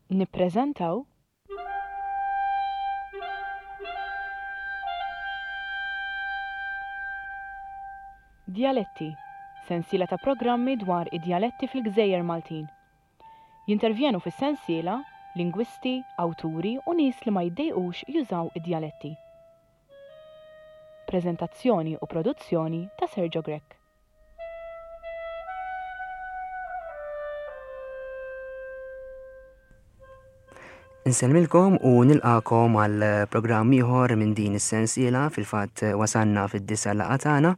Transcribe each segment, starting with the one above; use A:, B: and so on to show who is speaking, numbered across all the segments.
A: Nippreżentaw. Djaletti, sensiela ta' programmi dwar id-djaletti fil-gżejjer Maltin. Jintervjenu fis-sensiela lingwisti, awturi u nies li ma jiddejqux jużaw id-djaletti. Preżentazzjoni u produzzjoni ta' Sergio Grech.
B: Insellmilkom u nilqakom għal programm ieħor minn din is-sensiela fil-fatt wasalna fid-disa laqgħa tagħna.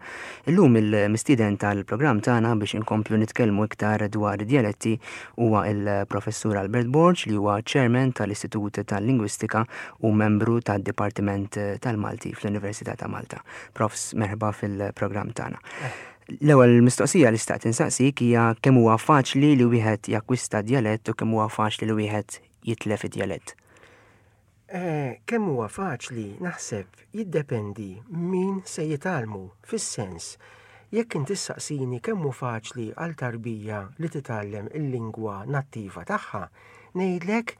B: Illum il-mistieden tal-programm tagħna biex inkomplu nitkellmu iktar dwar id-djaletti huwa il-Professur Albert Borg li huwa Chairman tal-Istitut tal-Lingwistika u membru tad-Dipartiment tal-Malti fl-Università ta' Malta. Profs, merħba fil-programm tagħna. L-ewwel mistoqsija li xtaqt insaqsik hija kemm huwa faċli li wieħed jakkwista djalett u kemm huwa faċli li wieħed jitlef id-djalett.
C: Eh, kemm huwa faċli naħseb jiddependi min se jitgħallmu fis-sens jekk inti ssaqsini kemm hu faċli għal tarbija li titgħallem il-lingwa nattiva tagħha, ngħidlek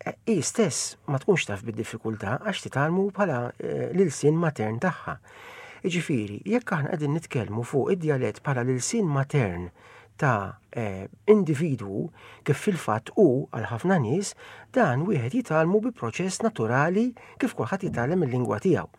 C: Hi stess ma tkunx taf bid-diffikultà għax titgħallmu bħala eh, l-ilsien matern tagħha. Jiġifieri, jekk aħna qegħdin nitkellmu fuq id-djalett bħala l-ilsien matern ta' eh, individwu kif fil-fatt hu għal ħafna nies, dan wieħed jitgħallmu bi proċess naturali kif kulħadd jitgħallem il-lingwa tiegħu.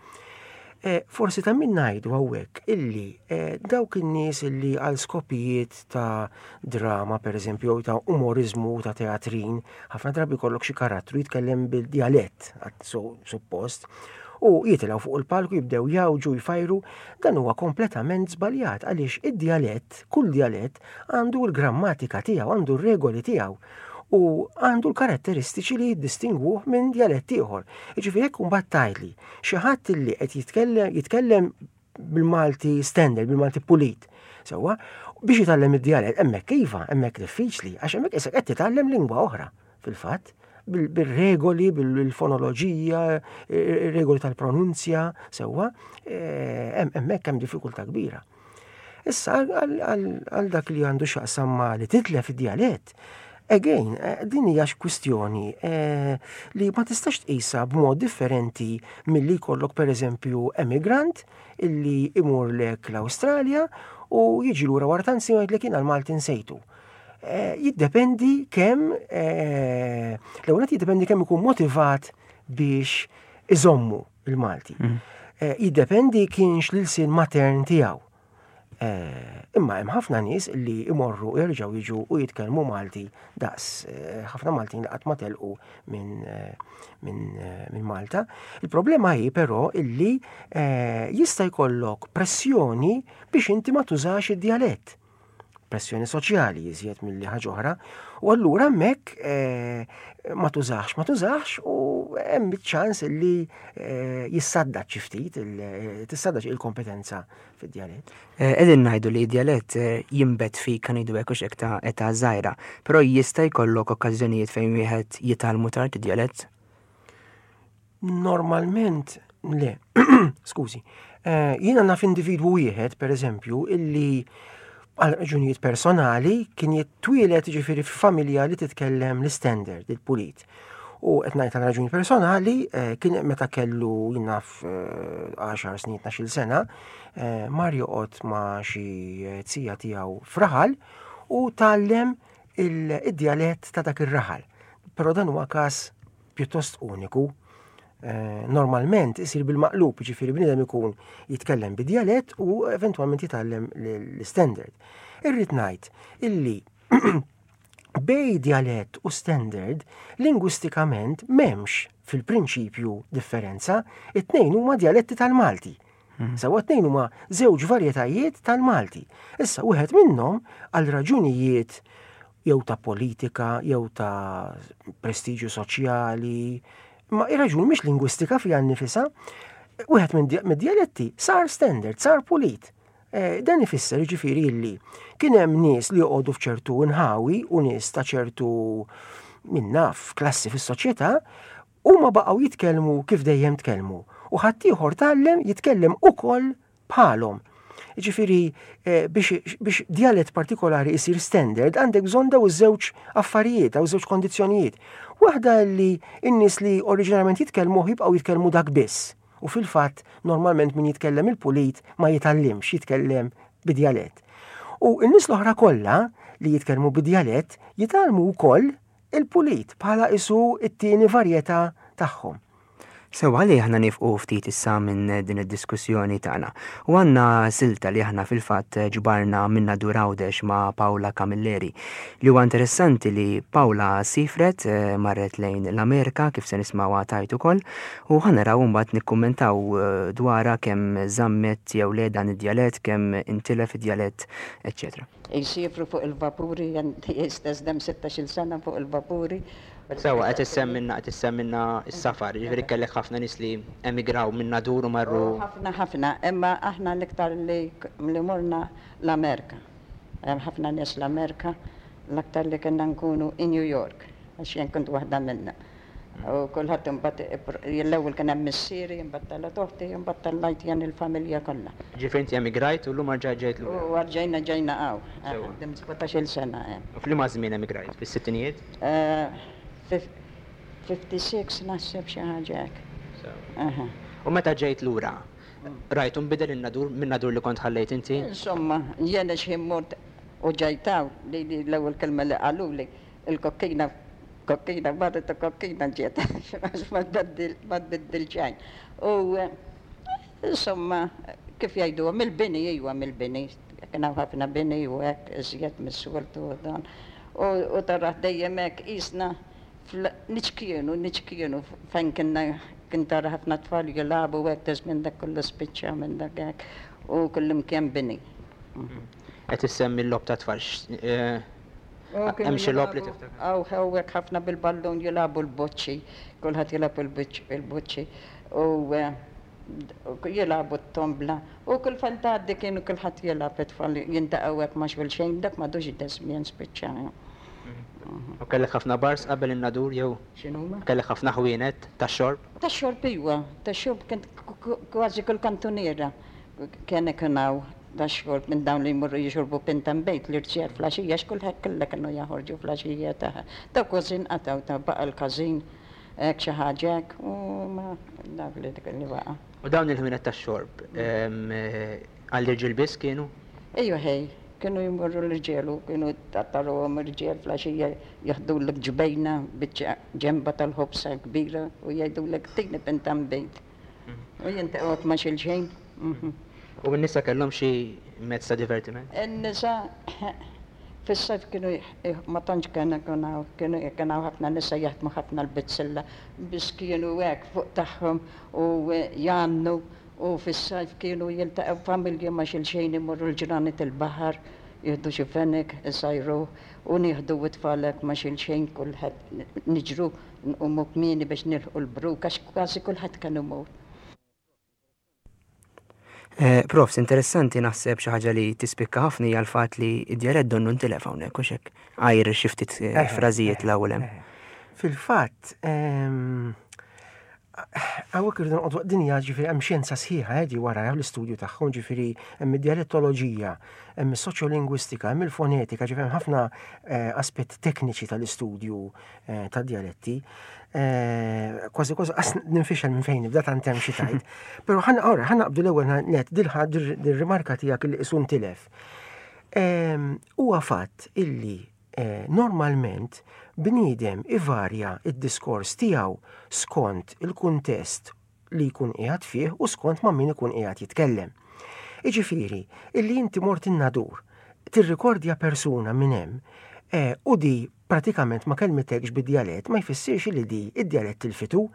C: Eh, forsi ta' min ngħidu hawnhekk illi eh, dawk in-nies illi għal skopijiet ta' drama pereżempju jew ta' umoriżmu ta' teatrin, ħafna drabi jkollok xi karattru jitkellem bil-djalett suppost, u jitilgħu fuq il-palku jibdew jawġu jfajru, dan huwa kompletament żbaljat għaliex id-djalett, kull djalett għandu l-grammatika tiegħu, għandu r-regoli tiegħu u għandu l-karatteristiċi li jiddistingwuh minn djalett ieħor. Jiġifieri jekk imbagħad tgħidli Xi ħadd li qed jitkellem jitkellem bil-Malti standard, bil-Malti pulit. Sewwa, biex jitgħallem id-djalett hemmhekk iva, hemmhekk diffiċli, għax hemmhekk isek qed titgħallem lingwa oħra fil-fatt bil-regoli, bil-fonoloġija, regoli tal-pronunzja, sewwa, eh, hemmhekk hemm diffikultà kbira. Issa għal dak li għandu x'jaqsam ma' li titlef id-djalett, again, eh, din hija kwistjoni eh, li ma tistax tqisha b'mod differenti milli jkollok pereżempju emigrant illi imur lek l-Awstralja u jiġi lura wara tant snin jgħidlek jiena l-Malti nsejtu. Eh, jiddependi kemm l-ewwel jiddependi kemm ikun motivat biex iżommu il-Malti. Mm. Eh, jiddependi kienx l-ilsien matern tiegħu. Eh, imma hemm ħafna nies li imorru jerġgħu jiġu u jitkellmu Malti daqs eh, ħafna Maltin li qatt ma telqu minn min Malta. Il-problema hi però illi jista' jkollok pressjoni biex inti ma tużax id-djalett. pressjoni soċjali iżjed milli ħaġa oħra, u allura hemmhekk eh, ma tużax, ma tużax u hemm ċans li eh, jissadda xi ftit, eh, tissadda il-kompetenza fid-djalett.
B: Qegħdin ngħidu li d-djalett jinbet fik kan ngħidu hekk hekk ta' età żgħira, però jista' jkollok okkażjonijiet fejn wieħed jitgħallmu tard id-djalett?
C: Normalment le. Skużi. Eh, jiena naf individwu wieħed, per eżempju, illi għal raġunijiet personali kien jitwieled ġifieri f'familja li titkellem l-standard, il-pulit. U qed ngħid għal raġuni personali, eh, kien meta kellu jinnaf 10 eh, snin, 12 sena, mar joqgħod ma' xi tija tiegħu f'raħal u tgħallem id-djalett ta' dak ir-raħal. Però dan huwa każ pjuttost uniku. Eh, normalment isir bil-maqlub, ġifieri bniedem ikun jitkellem bid-djalett u eventwalment jitgħallem l-standard. Irrid ngħid illi bej djalett u standard lingwistikament m'hemmx fil-prinċipju differenza, it-tnejn huma djaletti tal-Malti. Mhm. Sewa tnejn huma żewġ varjetajiet tal-Malti. Issa wieħed minnhom għal raġunijiet jew ta' politika, jew ta' prestiġju soċjali, ma ir-raġuni mhix lingwistika fiha nnifisha, wieħed mid-djaletti sar standard, sar pulit. Eh, dan ifisser jiġifieri illi kien hemm nies li joqogħdu f'ċertu nħawi u nies ta' ċertu min naf klassi fis-soċjetà huma baqgħu jitkellmu kif dejjem tkellmu u ħaddieħor tgħallem jitkellem ukoll bħalhom. Jiġifieri biex, biex djalett partikolari isir standard għandek bżonn daw iż-żewġ affarijiet, daw iż-żewġ kondizzjonijiet. Waħda li n-nies li oriġinarjament jitkellmuh jibqgħu jitkellmu dak biss. U fil-fatt normalment min jitkellem il-pulit ma jitgħallimx jitkellem bi djalett. U n-nies l-oħra kollha li jitkellmu bi djalett jitgħallmu wkoll il-pulit bħala isu t-tieni varjetà tagħhom.
B: Sewwa li aħna niefqu ftit issa minn din id-diskussjoni tagħna. U għandna silta li aħna fil-fatt ġbarna minn Nadur Għawdex ma' Paula Camilleri. Li huwa interessanti li Paula siefret, marret lejn l-Amerika kif se nismgħuha tgħid ukoll, u ħa naraw imbagħad nikkummentaw dwarha kemm żammet jew le dan id-djalett, kemm intilef id-djalett, eċċetera.
D: Jsiefru fuq il-vapuri, jien tiegħi stess dem sittax-il sena fuq il-vapuri.
B: Sewwa, qed issemmilna qed issemmilna s-safar, jiġifieri kellek ħafna nies li emigraw minn Nadur u marru.
D: Oh ħafna ħafna, imma aħna l-iktar li li morna l-Amerika. Hemm ħafna nies l-Amerika, l-aktar li kienna nkunu in New York, għax jien kont waħda minnhom. U kulħadd imbagħad l-ewwel kien hemm missieri, imbagħad telgħet oħti, imbagħad tellajt jien il-familja kollha.
B: Jiġifieri inti emigrajt u llum erġajt ġejt lura.
D: U erġajna ġejna hawn. Sewwa. Ħdimt sbatax-il sena hemm.
B: U f'liema żmien emigrajt? Fis-sittinijiet?
D: 56 naħseb xi ħaġa hekk.
B: Sewwa. U meta ġejt lura, rajtu nbidel in-Nadur min-Nadur li kont ħallejt inti?
D: Insomma, jien x'ħin mort u ġejt hawn, lili l-ewwel kelma li qaluli, il-kokkina, kokkina marret u kokkina ġiet, għax ma tbeddil, ma tbiddil xejn. U insomma, kif jgħiduha, mill-bini, iwa mill-bini, kien hawn ħafna bini u hekk iżjed mis-soltu u dan. U tarah dejjem hekk qisna niċkienu, niċkienu fejn kienna kien tara ħafna tfal jilagħbu hekk ta' żmien dak kollu spiċċa minn dak hekk u kullimkien bini.
B: Qed issemmi l-logħob tat-tfal, hemm xi logħob li tiftakar?
D: Hawn hawnhekk ħafna bil-ballun jilagħbu l-boċċi, kulħadd jilgħab il-boċċi u jilagħbu t-tombla u kull fejn tgħaddi kienu kulħadd jilgħab it-tfal jintaqgħu hekk ma' xulxejn dak m'għadux daż-żmien spiċċa.
B: U kellek ħafna bars qabel in-Nadur jew?
D: X'inhuma?
B: Kellek ħafna ħwienet tax-xorb?
D: Tax-xorb iwa, tax-xorb kien kważi kull kantuniera kien ikun hawn tax-xorb minn dawn li jmorru jixorbu pinta nbejt l-irġiel fl-għaxija għax kulħadd kollha kienu jaħorġu fl-għaxija ta' dawk kważi nqatgħu ta' baqa' l-każin Hekk xi ħaġa hekk u ma dak li dik li baqa'.
B: U dawn il-ħwienet tax-xorb għall-irġiel biss kienu?
D: Ejwa ħej, kienu jmorru l-irġiel u kienu tarahom irġiel fl-għaxija jaħdulek ġbejna biċċa ġenba tal-ħobża kbira u jgħidulek tini pinta nbid. U jintaqgħu hekk ma' xulxin.
B: U n-nisa kellhom xi mezz ta' divertiment?
D: In-nisa Fis-sajf kienu ma tantx kien ikun hawn, kienu kien hawn ħafna nisa jaħdmu ħafna l-bizzilla, biss kienu hekk fuq tagħhom u jgħannu u fis-sajf kienu jiltaqgħu familji ma' xulxin imorru l-ġranet il-baħar, jieħdu xi fenek, isajruh u nieħdu t-tfal hekk ma' xulxin kulħadd niġru nqumu kmieni biex nilħqu l-bruk għax kważi kulħadd kien imur.
B: Eh, profs, interessanti naħseb xi ħaġa li tispikka ħafna hija l-fatt li d-djalett donnu ntilef hawnhekk u hekk għajr xi ftit eh, eh, frażijiet l-ewwel hemm.
C: Fil-fatt, ehm, Hawnhekk irridu noqogħdu din hija ġifieri hemm xjenza sħiħa eh, di wara l-istudju tagħhom ġifieri hemm id-dialettoloġija, hemm is-soċjolingwistika, hemm il-fonetika, ġifieri hemm ħafna aspetti tekniċi tal-istudju eh, ta' dialetti. Eh, kważi kważi qas ninfixel minn fejn nibda tant hemm xi tajt. Però ħa ora ħa naqbdu l-ewwel net dil-rimarka tiegħek li qisu ntilef. Ehm, huwa fatt illi eh, normalment bniedem ivarja id-diskors tiegħu skont il-kuntest li jkun qiegħed fih u skont ma' min ikun qiegħed jitkellem. Iġifieri, illi inti mort in-Nadur, tirrikordja persuna minn hemm eh, u di pratikament ma kellmitekx bid-djalett ma jfissirx li di id-djalett tilfitu,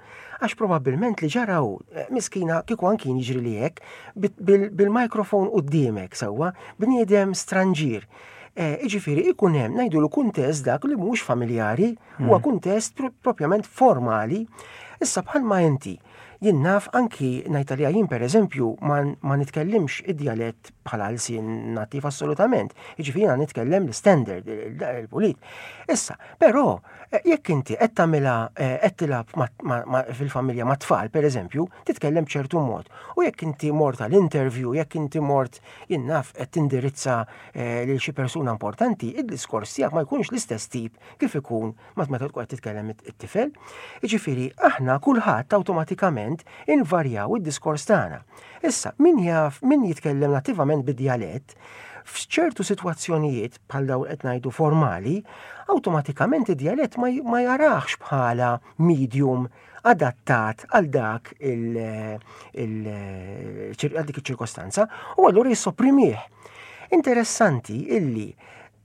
C: għax probabbilment li ġara hu, eh, miskina kieku anki jien jiġrili hekk, bil-mikrofon quddiemek sewwa, bniedem stranġier. Eh, iġifieri ikun hemm ngħidulu kuntest dak li mhux familjari, huwa kuntest propjament formali. Issa bħalma inti. Jien naf anki ngħid għalija jien pereżempju ma, ma nitkellimx id-djalett bħala lsien nattiv assolutament. Jiġifieri jiena nitkellem l-standard, il-pulit. Issa, però eh, jekk inti qed tagħmilha eh, qed tilgħab fil-familja ma' tfal pereżempju, titkellem b'ċertu mod. U jekk inti mort għal interview, jekk inti mort jien naf qed tindirizza eh, lil xi persuna importanti, id-diskors tiegħek ma jkunx l-istess tip kif ikun ma meta tkun qed titkellem it-tifel. Jiġifieri aħna kulħadd awtomatikament invarjaw id-diskors tagħna. Issa, min jaf, min jitkellem nattivament bid-djalett, f'ċertu sitwazzjonijiet bħal dawn qed ngħidu formali, awtomatikament id-djalett ma jarax bħala medium adattat għal dak għal dik iċ-ċirkostanza u allura jissoprimih. Interessanti illi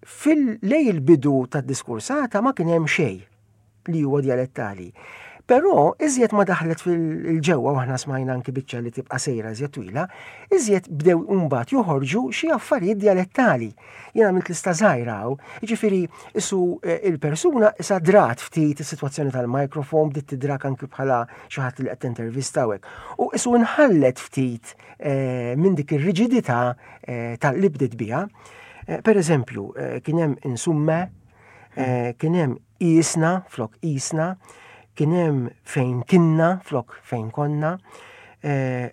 C: Fil-lej il-bidu tad-diskursata ma kien hemm xejn li huwa djalettali. Però iżjed ma daħlet fil-ġewwa u aħna smajna anki biċċa li tibqa' sejra iżjed twila, iżjed bdew imbagħad joħorġu xi affarijiet djalettali. Jien għamilt lista żgħira hawn, jiġifieri isu eh, il-persuna issa drat ftit is-sitwazzjoni tal-mikrofon bdiet tidrak anki bħala xi ħadd li qed tintervista hekk. U isu nħallet ftit eh, minn dik ir-riġidità eh, tal-li bdiet biha. Eh, per eżempju, eh, kien hemm insumme, eh, kien hemm isna flok isna, kien hemm fejn kinna flok fejn konna.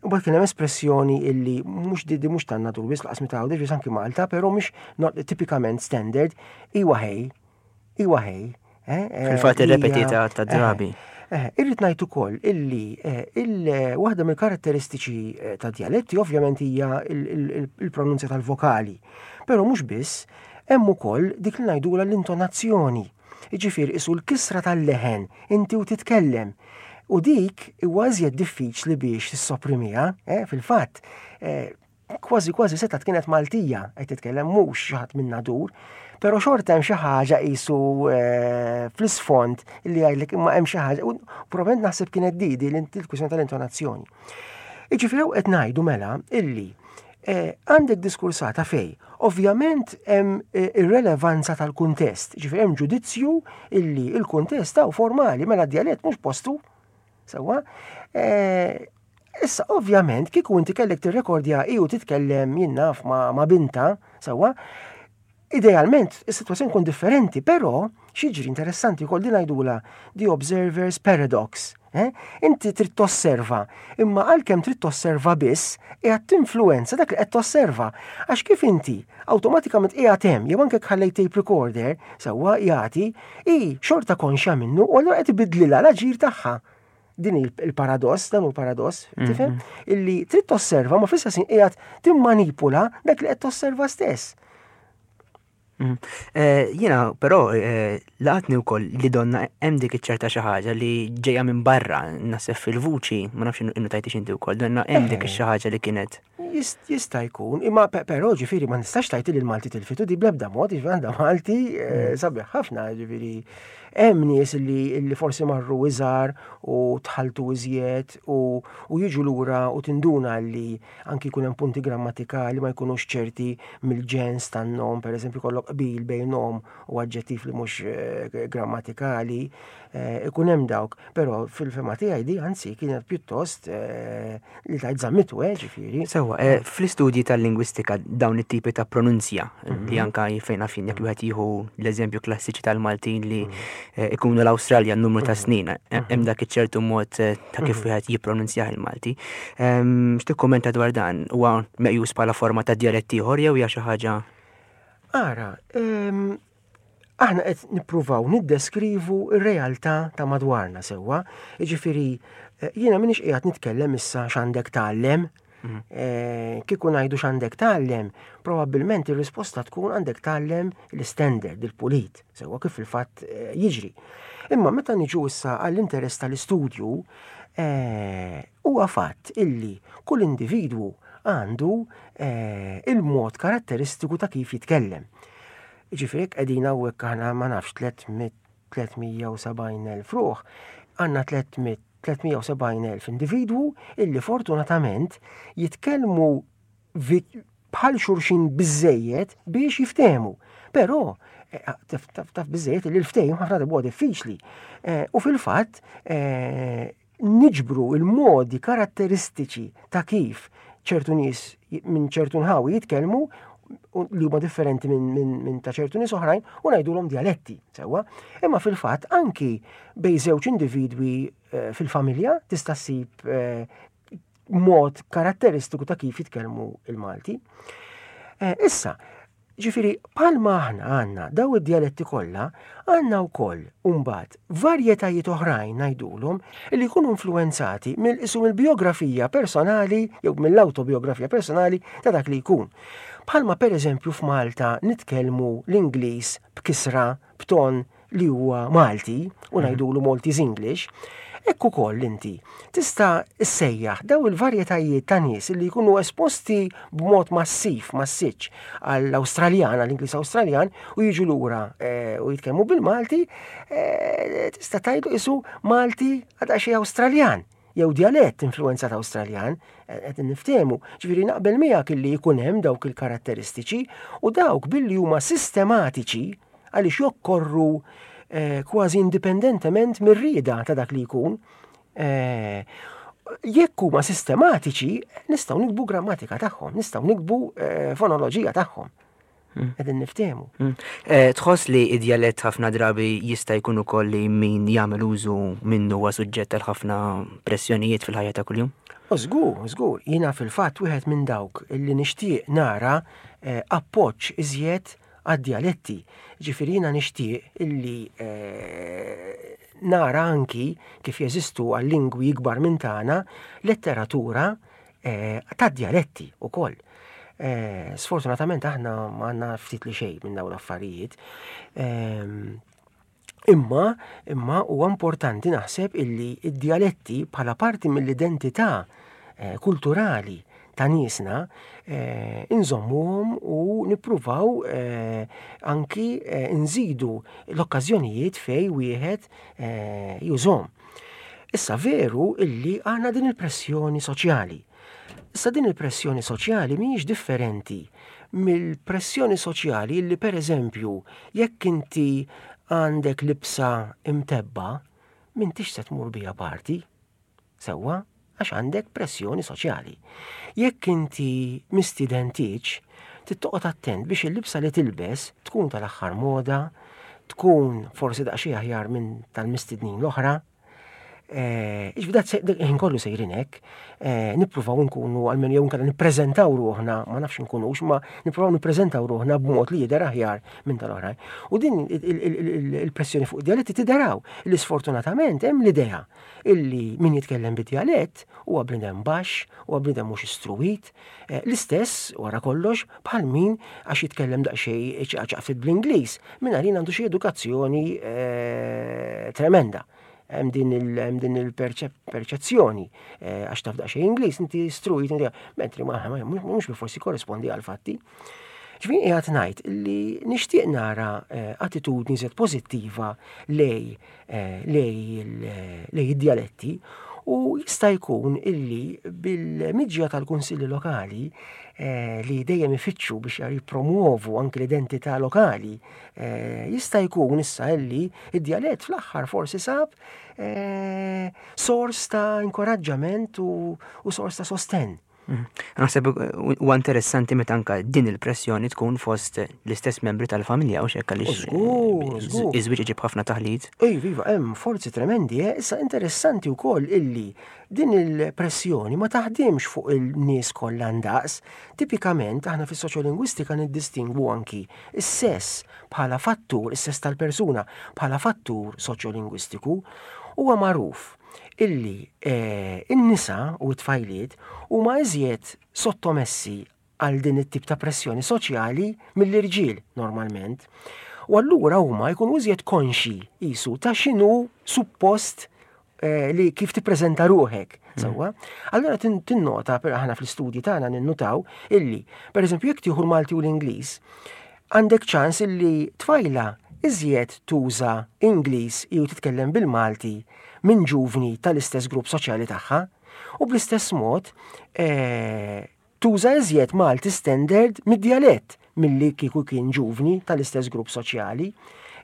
C: U bat kien hemm espressjoni illi mhux di mhux tan natur biss laqas meta għawdex anki Malta, però mhux tipikament standard, iwa ħej, Iwa ħej.
B: Eh, eh, Fil-fatt irrepetita ta' drabi.
C: Eh, irrid ngħid ukoll illi waħda mill-karatteristiċi ta' djaletti ovvjament hija il-pronunzja tal-vokali. Però mhux biss, hemm ukoll dik li ngħidula l-intonazzjoni. Jiġifieri isu l-kisra tal-leħen inti u titkellem. U dik huwa iżjed diffiċli biex tissoprimiha, fil-fatt, Kważi kważi setgħet kienet Maltija qed titkellem mhux xi ħadd minn Nadur, però xorta hemm xi ħaġa qisu eh, fl-isfond li jgħidlek imma hemm xi ħaġa u probabbilment naħseb kienet di di l-kwistjoni tal-intonazzjoni. Jiġifieri hawn qed ngħidu mela illi eh, għandek diskursata fej, ovvjament hemm eh, ir-relevanza tal-kuntest, ġifieri hemm ġudizzju illi il-kuntest hawn formali mela d-djalett mhux postu. Sewwa? Eh, issa, ovvjament, kieku inti kellek tirrekordja i u titkellem jien naf ma, ma binta, sewwa, idealment is-sitwazzjoni tkun differenti, però xiġri interessanti wkoll din ngħidula the observer's paradox. Eh? Inti trid tosserva, imma għalkemm trid tosserva biss, qiegħed tinfluwenza dak li qed tosserva. Għax kif inti awtomatikament qiegħed hemm jew anke ħallejt tape recorder sewwa jagħti, Hi xorta konxja minnu u allura qed ibidlilha l-aġir tagħha. Din il-paradoss, dan hu l-paradoss, mhm. tifhem? Illi trid tosserva ma fl-istess qiegħed timmanipula dak li qed tosserva stess.
B: Mhm. Eh, jiena però eh, laqatni wkoll li donna hemm dik iċ-ċerta xi ħaġa li ġejja minn barra naħseb fil-vuċi, ma nafx innu tajtix inti wkoll, donna hemm dik eh. xi ħaġa li kienet.
C: Jista' jkun, imma però ġifieri ma nistax tajt li l-Malti tilfitu di bl-ebda mod, ġifieri għandha Malti eh, mm. sabiħ ħafna, ġifieri hemm nies li forsi marru iżgħar u tħaltu iżjed u jiġu lura u tinduna li anki jkun hemm punti grammatikali ma jkunux ċerti mill-ġens tan-nom, pereżempju kollok qbil bejn nom u aġġettiv li mhux eh, grammatikali, eh, ikun hemm dawk. Però fil-fema tiegħi di anzi kienet pjuttost eh, li tajt zammitu, eh, ġifieri.
B: Sewwa, eh, fl-istudji tal-lingwistika dawn it-tipi ta' pronunzja mhm. li anka fejn fin jekk wieħed jieħu l-eżempju klassiċi tal-Maltin li mhm. eh, ikunu l-Awstralja n-numru ta' mhm. snin, hemm dak iċ-ċertu mod ta' kif wieħed jippronunzjah il-Malti. Ehm, x'tikkummenta dwar dan? Huwa meqjus bħala forma ta' djalett ieħor jew hija xi ħaġa?
C: Ara, ehm, Aħna qed nippruvaw niddeskrivu r-realtà ta' madwarna sewwa, jiġifieri eh, jiena m'iniex qiegħed nitkellem issa x'għandek tgħallem. Mhm. Eh, kieku ngħidu x'għandek tgħallem, probabbilment ir-risposta tkun għandek tgħallem l-istandard, il-pulit, sewwa kif fil-fatt eh, jiġri. Imma meta niġu issa għall-interess tal-istudju, huwa fatt illi kull individwu għandu il-mod karatteristiku ta' kif jitkellem. Jiġifieri jekk qegħdin hawnhekk aħna ma nafx 370,000 ruħ, għandna 370,000 individwu illi fortunatament jitkellmu bħal xulxin biżejjed biex jiftehmu. Però eh, taf biżejjed li l-ftehim ħafna darba diffiċli. Eh, u fil-fatt eh, niġbru il-modi karatteristiċi ta' kif ċertu nies minn ċertu nħawi jitkellmu li huma differenti minn min, min ta' ċertu nies oħrajn u ngħidulhom djaletti, sewwa. Imma fil-fatt anki bejn żewġ individwi eh, fil-familja tista' ssib eh, mod karatteristiku ta' kif jitkellmu il-Malti. Eh, issa, ġifiri, palma aħna għanna daw id-dialetti kollha, għanna wkoll mbagħad varjetajiet oħrajn ngħidulhom li jkunu influenzati mill-isum il-biografija personali jew mill-autobiografija personali ta' dak li jkun. Bħalma pereżempju f'Malta nitkellmu l-Ingliż b'kisra, b'ton li huwa Malti u mhm. ngħidulu Maltese English, hekk ukoll inti tista' ssejjaħ daw il-varjetajiet ta' nies li jkunu esposti b'mod massiv, massiċ għall-Awstraljan, għall-Ingliż Awstraljan u jiġu lura eh, u jitkellmu bil-Malti, eh, tista' tgħidu isu Malti għadha xi Awstraljan jew djalett influenzat Awstraljan, eh, qed niftehmu. Ġifieri naqbel miegħek illi jkun hemm dawk il-karatteristiċi u dawk billi huma sistematiċi għaliex jokkorru eh, kważi indipendentement mir-rieda ta' dak li jkun. Eh, jekk huma sistematiċi, nistgħu nikbu grammatika tagħhom, nistgħu nikbu eh, fonoloġija tagħhom. Hmm. Qegħdin niftehmu.
B: Hmm. Tħoss li id-djalett ħafna drabi jista' jkun ukoll li min jagħmel użu minnu huwa suġġett għal ħafna pressjonijiet fil-ħajja ta' kuljum?
C: Żgur, żgur, jiena fil-fatt wieħed minn dawk li nixtieq nara appoġġ iżjed għad-djaletti. Ġifieri jiena nixtieq illi nara anki kif jeżistu għal lingwi ikbar minn tagħna letteratura tad-djaletti ukoll. Sfortunatament aħna ma għandna ftit li xejn minn dawn l-affarijiet. Imma, imma huwa importanti naħseb illi id-djaletti bħala parti mill-identità eh, kulturali ta' niesna eh, inżommuhom u nippruvaw eh, anki eh, nżidu l-okkażjonijiet fej wieħed eh, jużhom. Issa veru illi għandna din il-pressjoni soċjali. Issa din il-pressjoni soċjali mhijiex differenti mill-pressjoni soċjali li pereżempju jekk inti għandek libsa imtebba m'intix se tmur biha party. Sewwa, għax għandek pressjoni soċjali. Jekk inti mistieden tieġ, trid toqgħod attent biex il-libsa li tilbes tkun tal-aħħar moda, tkun forsi daqsxejn aħjar minn tal-mistednin l-oħra. Eh, Iġbi ħin kollu sejrin hekk, eh, nippruvaw nkunu għalmen jew nkella nippreżentaw ruħna, ma nafx nkunux, ma nippruvaw nippreżentaw ruħna b'mod li jidher aħjar minn tal-oħrajn. U din il-pressjoni fuq dialetti tideraw li sfortunatament hemm l-idea illi min jitkellem bid-dialett huwa bniedem baxx, huwa bniedem mhux istruwit, eh, l-istess wara kollox bħal min għax jitkellem daqsxejn ċaqċaq bl-Ingliż, minn għalin għandu xi edukazzjoni tremenda. Hemm din il-perċezzjoni eh, għax taf daqsxejn Ingliż, inti struit, mentri ma mhux forsi korrespondi għal fatti. Ġifieri qiegħed ngħid li nixtieq nara eh, attitudni żed pożittiva lej eh, lej id-djaletti u jista' jkun illi bil-miġja tal-kunsilli lokali li dejjem ifittxu biex jippromuovu anki l-identità lokali Eh, jista' jkun issa illi id-djalett fl-aħħar forsi sab eh, sors ta' inkoraġġament u sors ta' sostenn.
B: Mhm. Naħseb huwa interessanti meta anka din il-pressjoni tkun fost l-istess membri tal-familja u xekk għaliex eh, iż-żwieġ iġib ħafna taħlit.
C: Ej, viva, hemm forzi tremendi, eh? issa interessanti wkoll illi din il-pressjoni ma taħdimx fuq il-nies kollha ndaqs. Tipikament aħna fis-soċjolingwistika niddistingwu anki Is-sess bħala fattur, is-sess tal-persuna bħala fattur soċjolingwistiku, huwa magħruf illi eh, in-nisa u t-tfajliet huma iżjed sottomessi għal din it-tip ta' pressjoni soċjali mill-irġiel normalment. U allura huma jkunu iżjed konxi jisu ta' x'inhu suppost eh, li kif tippreżenta ruħek. Mm. Sewwa. Allura tinnota, per aħna fl-istudji tagħna ninnutaw illi, pereżempju, jekk tieħu l-Malti u l-Ingliż, għandek ċans illi tfajla iżjed tuża Ingliż jew titkellem bil-Malti minn ġuvni tal-istess grupp soċjali tagħha u bl-istess mod eh, Tuża iżjed Malti standard mid-djalett milli kieku kien ġuvni tal-istess grupp soċjali.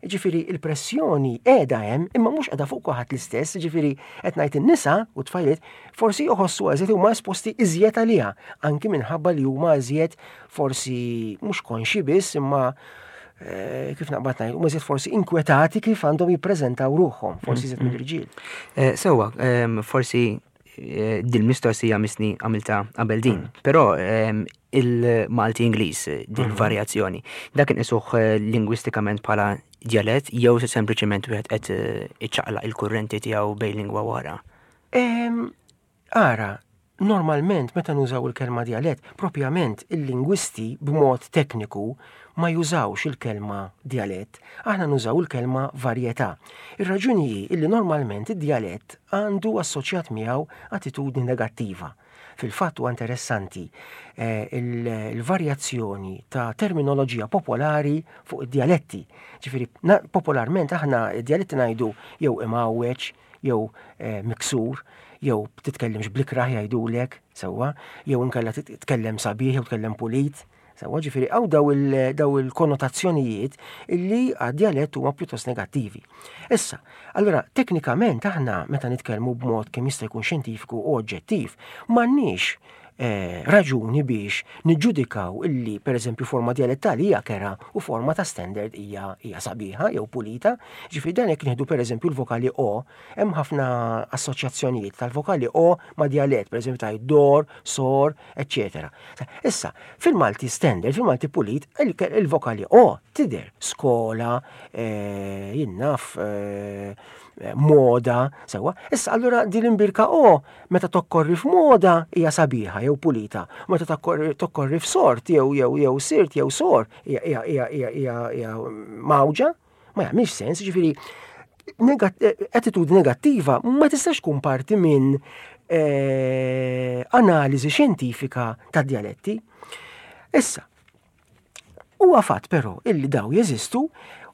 C: Jiġifieri il-pressjoni qiegħda hemm imma mhux qiegħda fuq kulħadd l-istess, jiġifieri qed ngħid in-nisa u t-tfajliet forsi jħossu eżiet huma esposti iżjed għaliha, anki minħabba li huma iżjed forsi mhux konxi biss imma eh, kif naqbad ngħid, huma iżjed forsi inkwetati kif għandhom jippreżentaw ruħhom, forsi iżjed mill-irġiel.
B: Eh, sewwa, ehm, forsi eh, din mistoqsija misni għamilta qabel din, mm. però ehm, il-Malti Ingliż eh, din mm. varjazzjoni. Dak inqisuh eh, lingwistikament bħala djalett jew se sempliċement wieħed qed iċċaqlaq il-kurrenti tiegħu bejn lingwa wara.
C: Ehm, ara, normalment meta nużaw il-kelma djalett, propjament il-lingwisti b'mod tekniku ma jużawx il-kelma djalett, aħna nużaw il-kelma varjetà. Ir-raġuni hi illi normalment id-djalett għandu assoċjat miegħu attitudni negattiva. Fil-fatt huwa interessanti eh, il-varjazzjoni ta' terminoloġija popolari fuq id-djaletti. Ġifieri, popolarment aħna id-djaletti ngħidu jew imgħawweġ, jew eh, miksur, jew titkellimx blikrah jgħidulek, sewwa, jew inkella titkellem sabiħ jew tkellem pulit. Sewwa ġifieri hawn daw il-konnotazzjonijiet illi għad-djalett huma pjuttost negattivi. Issa, allura teknikament aħna meta nitkellmu b'mod kemm jista' jkun xjentifiku u oġġettiv, m'għandniex eh, raġuni biex niġġudikaw illi pereżempju forma djalettali hija kera u forma ta' standard hija hija sabiħa jew pulita. Ġifieri dan jekk nieħdu pereżempju l-vokali o, hemm ħafna assoċjazzjonijiet tal-vokali o ma' djalett, pereżempju ta' dor, sor, eċċetera. Issa, fil-Malti standard, fil-Malti pulit, il-vokali o tidher skola, eh, jinnaf, eh, moda, sewa. Issa, allura din l-imbirka o, meta tokkorri f'moda hija sabiħa jew pulita, meta tokkorri f'sort jew jew jew sirt jew sor hija hija hija mawġa, Ma jagħmilx sens, ġifieri attitudni negattiva ma tistax tkun parti minn eh, analiżi xjentifika ta' djaletti. Issa, huwa fatt però illi daw jeżistu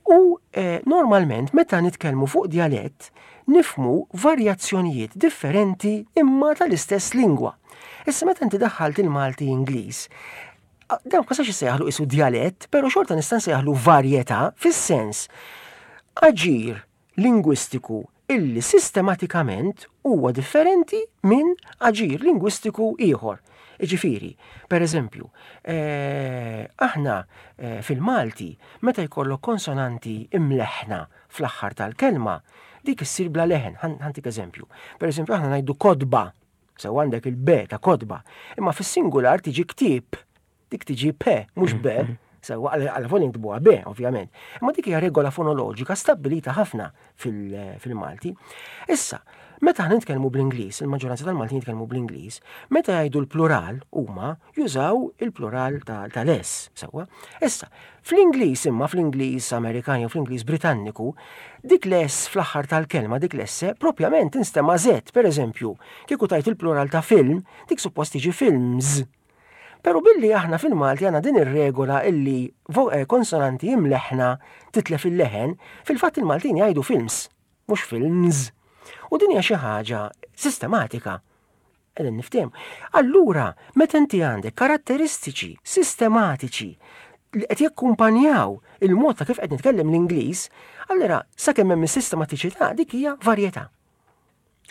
C: u eh, normalment meta nitkellmu fuq djalett nifmu varjazzjonijiet differenti imma tal-istess lingwa. Issa meta inti daħħalt il-Malti Ingliż, Dan ma nistax issejjaħlu isu djalett, però xorta nista' nsejjaħlu varjetà fis-sens aġir lingwistiku illi sistematikament huwa differenti minn aġir lingwistiku ieħor. Iġifieri, per eżempju, eh, aħna eh, fil-Malti meta jkollok konsonanti imleħna fl-aħħar tal-kelma, dik issir bla leħen. Ħantik eżempju. Per eżempju, aħna ngħidu kodba Sew għandek il-B ta' kotba, imma fis-singular tiġi ktieb. Dik tiġi P, mhux B. Mm-hmm. Sew għal fon inktubuha B, ovvjament. Imma dik hija regola fonoloġika stabbilita ħafna fil-Malti. Issa, meta aħna nitkellmu bl-Ingliż, il-maġġoranza tal-Maltin jitkellmu bl-Ingliż, meta jgħidu l-plural huma jużaw il-plural tal-S, sewwa. Issa, Fl-Ingliż imma, fl-Ingliż Amerikan jew fl-Ingliż Britanniku, dik l-S fl-aħħar tal-kelma, dik l-S, propjament tinstema' Z. Per eżempju, kieku tgħid il-plural ta' film, dik suppost tiġi films. Però billi aħna fil-Malti għandna din ir-regola illi eh, konsonanti imleħħna titlef il-leħen, fil-fatt il-Maltin jgħidu films, mhux films. U din hija xi ħaġa sistematika. Qegħdin niftehmu. Allura, meta inti għandek karatteristiċi sistematiċi li qed jakkumpanjaw il-mod ta' kif qed nitkellem l-Ingliż, allura sakemm hemm is-sistematiċità dik hija varjetà.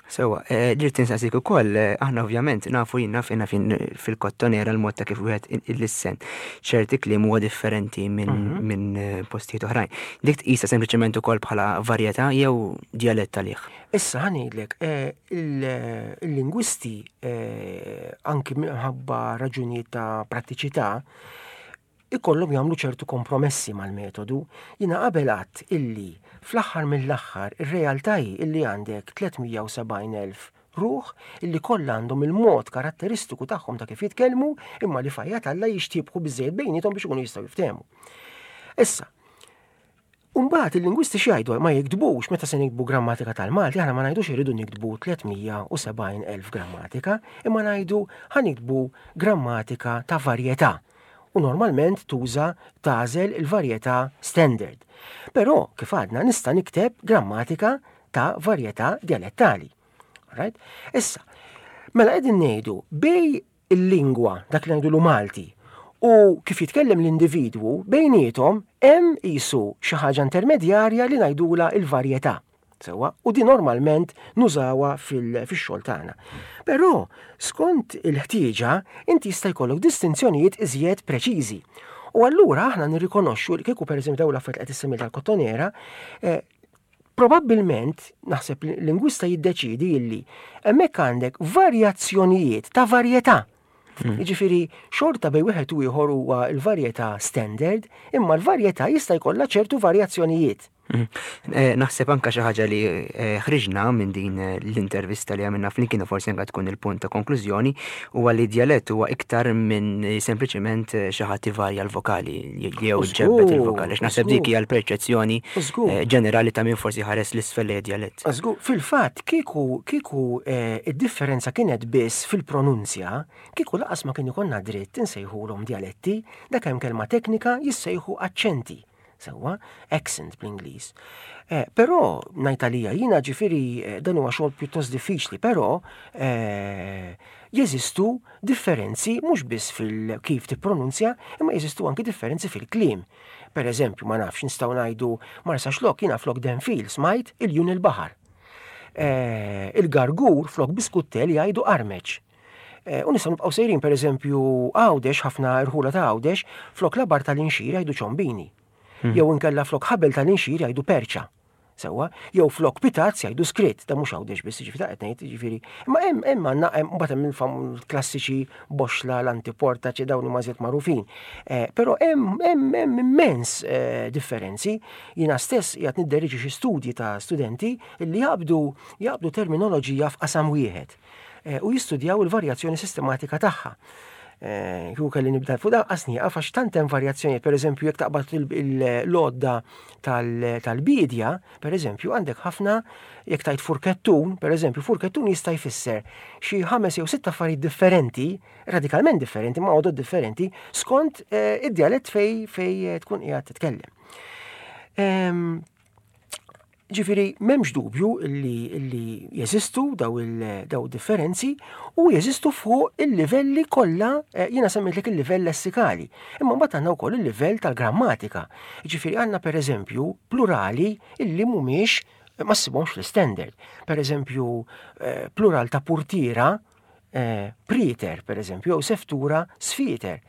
B: Sewa, eh, ġirt tinsaqsik ukoll, eh, aħna ovvjament nafu jien naf jiena fil-kottonera l-mod ta' kif wieħed il-lissen ċerti kliem huwa differenti minn mhm. min eh, postijiet oħrajn. Dik tqisha sempliċement ukoll bħala varjetà jew djalett għalih?
C: Issa ħa ngħidlek, eh, il-lingwisti eh, anki minħabba raġunijiet ta' prattiċità ikollhom jagħmlu ċertu kompromessi mal-metodu. Jiena qabel għadt illi fl-aħħar mill-aħħar ir-realtà hi illi għandek 370,000 ruħ illi kollha għandhom il-mod karatteristiku tagħhom ta' kif jitkellmu imma li fajja Alla jixtiebħu biżejjed bejniethom biex ikunu jistgħu jiftehmu. Issa, Umbagħad il-lingwisti x'jgħidu ma jiktbux meta se niktbu grammatika tal-Malti aħna ma ngħidux irridu niktbu 370,000 grammatika, imma ngħidu ħa niktbu grammatika ta' varjetà. U normalment tuża tagħżel il-varjetà standard. Però kif għadna nista' nikteb grammatika ta' varjetà dialettali. Right? Issa, mela qegħdin ngħidu bej il-lingwa, dak li ngħidulu Malti, U kif jitkellem l-individwu, bejniethom hemm qisu xi ħaġa intermedjarja li ngħidulha l-varjetà. Sewwa, u din normalment nużawha fix-xogħol tagħna. Però, skont il-ħtieġa, inti jista' jkollok distinzjonijiet iżjed preċiżi. U allura aħna nirrikonoxxu li kieku pereżempju dawn l-affarijiet li qed issemmi tal-kottonera, eh, probabbilment naħseb lingwista jiddeċidi illi hemmhekk għandek varjazzjonijiet ta' varjetà. Jiġifieri xorta bejn wieħed u ieħor huwa l-varjetà standard, imma l-varjetà jista' jkollha ċertu varjazzjonijiet.
B: Eh, naħseb anka xi ħaġa li eh, ħriġna minn din eh, l-intervista li għamilna flimkien u forsi anka tkun il-punt ta' konklużjoni huwa li djalett huwa iktar minn sempliċement xi ħadd ivarja l-vokali jew ġebbet il-vokali. Naħseb dik hija l-perċezzjoni ġenerali ta' min forsi ħares l-isfel li djalett.
C: Żgur, fil-fatt kieku kieku id-differenza kienet biss fil-pronunzja, kieku laqas ma kien ikollna dritt insejħulhom djaletti, dak hemm kelma teknika jissejħu aċċenti. Sewwa, accent bl-Ingliż. Eh, però ngħid għalija jiena ġifieri eh, dan huwa xogħol pjuttost diffiċli, però eh, jeżistu differenzi mhux biss fil-kif tippronunzja, imma jeżistu anki differenzi fil-kliem. Per eżempju, ma nafx nistgħu ngħidu Marsa Xlok jiena flok Denfil smajt il-jun il-baħar. Il-gargur flok biskuttel jgħidu armeċ. Eh, u nistgħu nibqgħu sejrin pereżempju Għawdex, ħafna irħula ta' Għawdex, flok labar tal-inxir jgħidu ċombini. Hmm. Jew inkella flok ħabel tal-inxir jgħidu perċa. Sewwa, jew flok pitazz jgħidu skritt, da mhux Għawdex biss, jiġifieri ta' qed ngħid, jiġifieri. Imma hemm hemm għandna hemm mbagħad hemm il-klassiċi boxla, l-antiporta, ċe dawn huma żjed magħrufin. Eh, però hemm hemm hemm immens eh, differenzi. Jiena stess qiegħed nidderieġi xi studji ta' studenti li jaqbdu jaqbdu terminoloġija f'qasam wieħed. Eh, u jistudjaw il-varjazzjoni sistematika tagħha. Eh, kieku kelli nibda fuq dan qas nieqaf għax tant hemm varjazzjonijiet, pereżempju jekk taqbad l-għodda tal-bidja, pereżempju għandek ħafna jekk tajt furkettun, pereżempju furkettun jista' jfisser xi ħames jew sitt affarijiet differenti, radikalment differenti, ma' għodod differenti, skont eh, id-djalett fej fej tkun qiegħed titkellem. Ehm, Ġifieri m'hemmx dubju li, li jeżistu daw il-daw differenzi u jeżistu fuq il-livelli kollha, eh, jiena semmejtlek il-livell lessikali. Imma mbagħad għandna wkoll il-livell tal-grammatika. Ġifieri għandna pereżempju plurali illi mhumiex ma ssibhomx fl-standard. Pereżempju eh, plural ta' purtiera eh, prieter, per eżempju, jew seftura sfieter.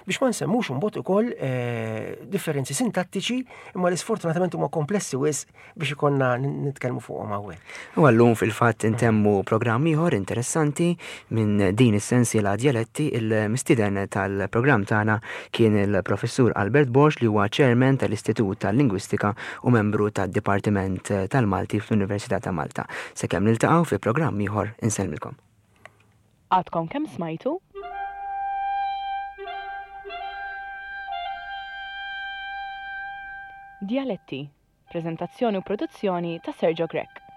C: Biex ma nsemmux imbagħad ukoll eh, differenzi sintattiċi imma li sfortunatament huma komplessi wisq biex ikollna nitkellmu fuqhom hawnhekk.
B: U għallum fil-fatt intemmu programm ieħor interessanti minn din is-sensiela djaletti il-mistieden tal-programm tagħna kien il-Professur Albert Borg li huwa chairman tal-Istitut tal-Lingwistika u membru tad-Dipartiment tal-Malti fl-Università ta' Malta. Sakemm niltaqgħu fi programm ieħor insellmilkom.
A: Għadkom kemm smajtu? Djaletti, preżentazzjoni u produzzjoni ta' Sergio Grech.